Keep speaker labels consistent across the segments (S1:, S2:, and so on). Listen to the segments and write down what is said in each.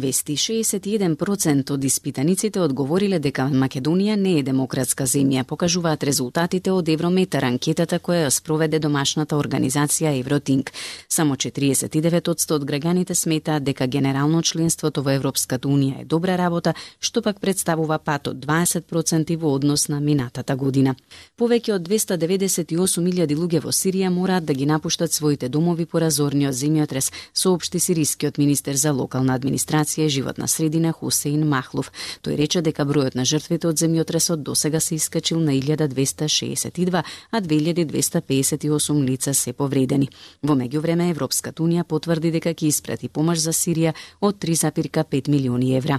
S1: Вести 61% од испитаниците одговориле дека Македонија не е демократска земја, покажуваат резултатите од Еврометар, анкетата која ја спроведе домашната организација Евротинк. Само 49% од граѓаните сметаат дека генерално членството во Европската унија е добра работа, што пак представува пат од 20% во однос на минатата година. Повеќе од 298.000 луѓе во Сирија мораат да ги напуштат своите домови по разорниот земјотрес, соопшти сирискиот министер за локална администрација и животна средина Хусеин Махлов. Тој рече дека бројот на жртвите од земјотресот досега се искачил на 1262, а 2258 лица се повредени. Во меѓувреме Европската унија потврди дека ќе испрати помош за Сирија од 3,5 милиони евра.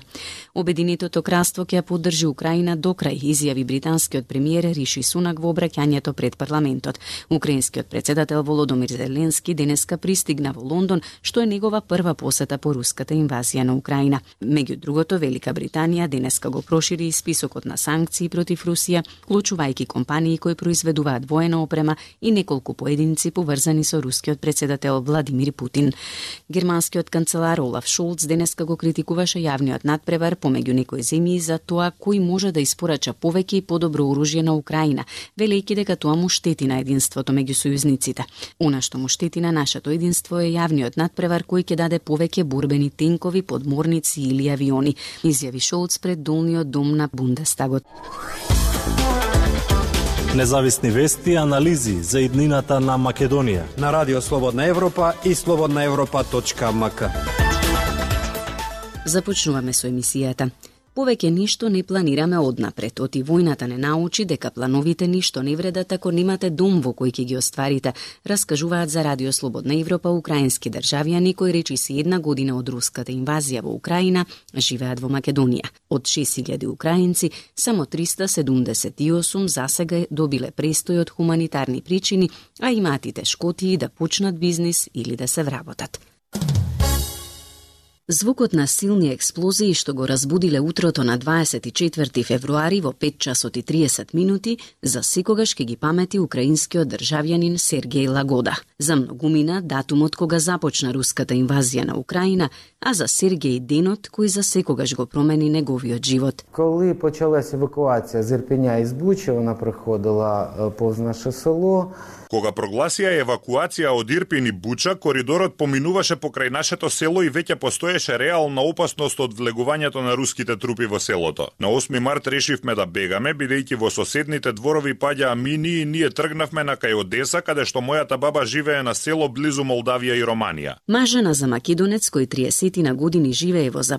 S1: Обединетото кралство ќе ја поддржи Украина до крај, изјави британскиот премиер Риши Сунак во обраќањето пред парламентот. Украинскиот председател Володомир Зеленски денеска пристигна во Лондон, што е негова прва посета по руската инвазија на Украина. Меѓу другото, Велика Британија денеска го прошири и списокот на санкции против Русија, вклучувајќи компании кои произведуваат воена опрема и неколку поединци поврзани со рускиот председател Владимир Путин. Германскиот канцелар Олаф Шолц денеска го критикуваше јавниот надпревар помеѓу некои земји за тоа кој може да испорача повеќе и подобро оружје на Украина, велејќи дека тоа му штети на единството меѓу сојузниците. Она што му штети на нашето единство е јавниот надпревар кој ќе даде повеќе борбени тенкови, подморници или авиони, изјави Шолц пред долниот дом на Бундестагот.
S2: Независни вести и анализи за иднината на Македонија
S3: на Радио Слободна Европа и slobodnaevropa.mk.
S1: Започнуваме со емисијата. Повеќе ништо не планираме однапред. Оти војната не научи дека плановите ништо не вредат ако немате дом во кој ќе ги остварите, раскажуваат за Радио Слободна Европа украински државјани кои речиси една година од руската инвазија во Украина живеат во Македонија. Од 6000 украинци, само 378 засега добиле престој од хуманитарни причини, а имаат и тешкотии да почнат бизнис или да се вработат. Звукот на силни експлозии што го разбудиле утрото на 24 февруари во 5 часот и 30 минути, за секогаш ќе ги памети украинскиот државјанин Сергеј Лагода. За многумина датумот кога започна руската инвазија на Украина, а за Сергеј денот кој за секогаш го промени неговиот живот.
S4: Коли почалась евакуација з Ірпеня и з Бучи, вона проходила повз наше село.
S5: Кога прогласија евакуација од Ирпин и Буча, коридорот поминуваше покрај нашето село и веќе постоеше реална опасност од влегувањето на руските трупи во селото. На 8 март решивме да бегаме, бидејќи во соседните дворови паѓаа мини и ние тргнавме на кај Одеса, каде што мојата баба живее на село близу Молдавија и Романија.
S1: Мажена за македонец кој 30 на години живее во